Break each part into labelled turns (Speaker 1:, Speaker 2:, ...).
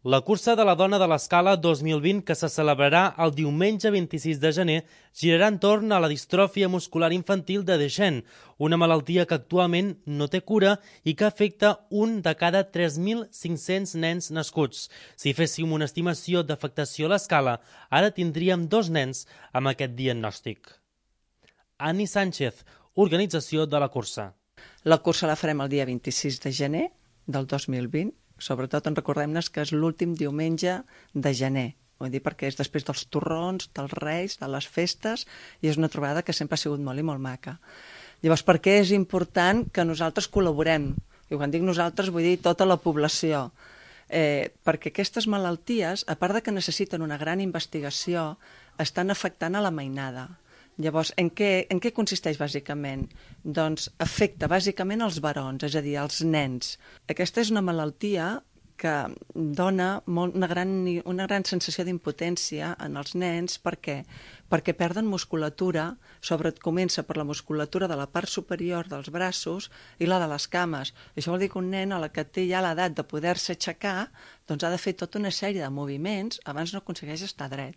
Speaker 1: La cursa de la dona de l'Escala 2020, que se celebrarà el diumenge 26 de gener, girarà entorn a la distròfia muscular infantil de Duchenne, una malaltia que actualment no té cura i que afecta un de cada 3.500 nens nascuts. Si féssim una estimació d'afectació a l'escala, ara tindríem 2 nens amb aquest diagnòstic. Ani Sánchez, organització de la cursa.
Speaker 2: La cursa la farem el dia 26 de gener del 2020. Sobretot en recordem-nos que és l'últim diumenge de gener. Vull dir, perquè és després dels torrons, dels reis, de les festes, i és una trobada que sempre ha sigut molt i molt maca. Llavors, per què és important que nosaltres col·laborem? I quan dic nosaltres vull dir tota la població. Perquè aquestes malalties, a part de que necessiten una gran investigació, estan afectant a la mainada. Llavors, en què consisteix bàsicament? Doncs afecta bàsicament els barons, és a dir, els nens. Aquesta és una malaltia que dona una gran sensació d'impotència en els nens. Per què? Perquè perden musculatura, comença per la musculatura de la part superior dels braços i la de les cames. Això vol dir que un nen a la que té ja l'edat de poder-se aixecar, doncs ha de fer tota una sèrie de moviments abans no aconsegueix estar dret.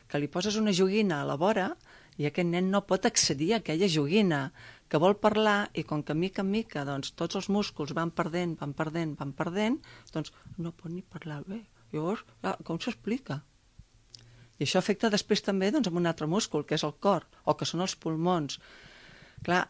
Speaker 2: Que li poses una joguina a la vora i aquest nen no pot accedir a aquella joguina, que vol parlar i com que mica en mica doncs, tots els músculs van perdent, doncs no pot ni parlar bé. Llavors, com s'explica? I això afecta després també doncs, amb un altre múscul, que és el cor, o que són els pulmons. Clar,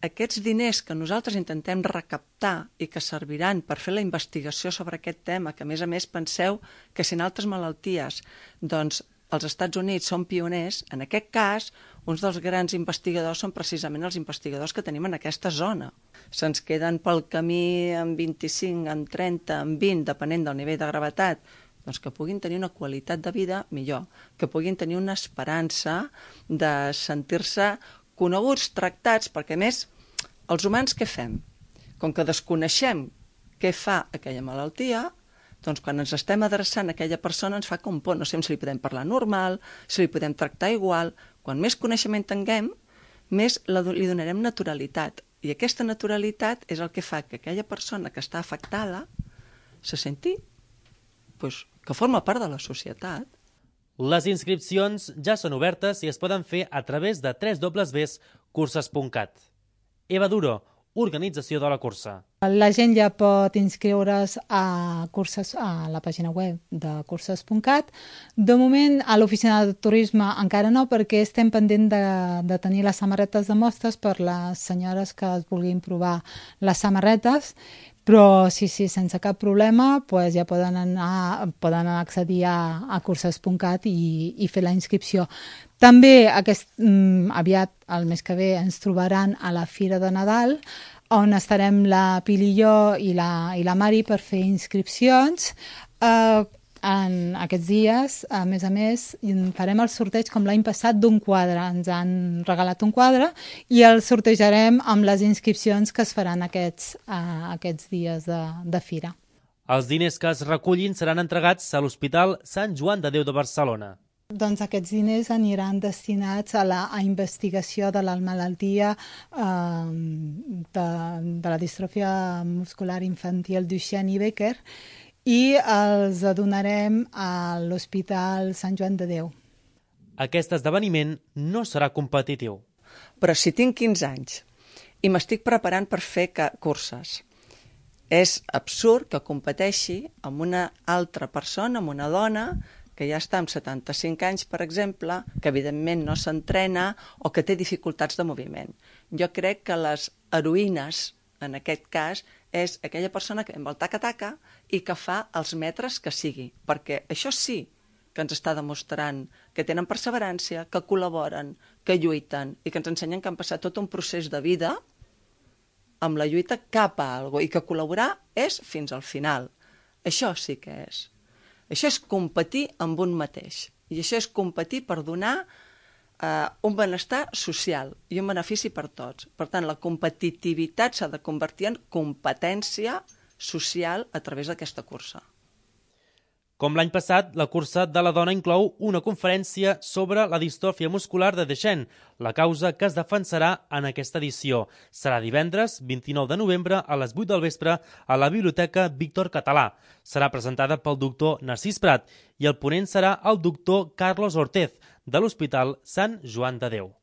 Speaker 2: aquests diners que nosaltres intentem recaptar i que serviran per fer la investigació sobre aquest tema, que a més penseu que si en altres malalties doncs, els Estats Units són pioners, en aquest cas, uns dels grans investigadors són precisament els investigadors que tenim en aquesta zona. Se'ns queden pel camí en 25, en 30, en 20, depenent del nivell de gravetat, doncs que puguin tenir una qualitat de vida millor, que puguin tenir una esperança de sentir-se coneguts, tractats, perquè a més, els humans què fem? Com que desconeixem què fa aquella malaltia, doncs quan ens estem adreçant a aquella persona ens fa com por, no sé si li podem parlar normal, si li podem tractar igual. Quan més coneixement tinguem, més li donarem naturalitat. I aquesta naturalitat és el que fa que aquella persona que està afectada se senti que forma part de la societat.
Speaker 1: Les inscripcions ja són obertes i es poden fer a través de www.curses.cat. Eva Duro, organització de la cursa.
Speaker 3: La gent ja pot inscriure's a la pàgina web de curses.cat. De moment, a l'oficina de turisme encara no, perquè estem pendent de tenir les samarretes de mostres per les senyores que es vulguin provar les samarretes, però sí, sense cap problema, doncs ja poden accedir a curses.cat i fer la inscripció. També aviat, el mes que ve, ens trobaran a la Fira de Nadal, on estarem la Pili i jo i la Mari per fer inscripcions. En aquests dies, a més, farem el sorteig com l'any passat d'un quadre. Ens han regalat un quadre i el sortejarem amb les inscripcions que es faran aquests dies de fira.
Speaker 1: Els diners que es recullin seran entregats a l'Hospital Sant Joan de Déu de Barcelona.
Speaker 3: Doncs aquests diners aniran destinats a la investigació de la malaltia de la distròfia muscular infantil Duchenne i Becker i els donarem a l'Hospital Sant Joan de Déu.
Speaker 1: Aquest esdeveniment no serà competitiu.
Speaker 2: Però si tinc 15 anys i m'estic preparant per fer curses, és absurd que competeixi amb una altra persona, amb una dona que ja està amb 75 anys, per exemple, que evidentment no s'entrena o que té dificultats de moviment. Jo crec que les heroïnes, en aquest cas, és aquella persona que amb el taca-taca i que fa els metres que sigui, perquè això sí que ens està demostrant que tenen perseverància, que col·laboren, que lluiten i que ens ensenyen que han passat tot un procés de vida amb la lluita cap a alguna cosa i que col·laborar és fins al final. Això sí que és. Això és competir amb un mateix. I això és competir per donar un benestar social i un benefici per tots. Per tant, la competitivitat s'ha de convertir en competència social a través d'aquesta cursa.
Speaker 1: Com l'any passat, la cursa de la dona inclou una conferència sobre la distròfia muscular de Duchenne, la causa que es defensarà en aquesta edició. Serà divendres 29 de novembre a les 8 del vespre a la Biblioteca Víctor Català. Serà presentada pel doctor Narcís Prat i el ponent serà el doctor Carlos Ortez, de l'Hospital Sant Joan de Déu.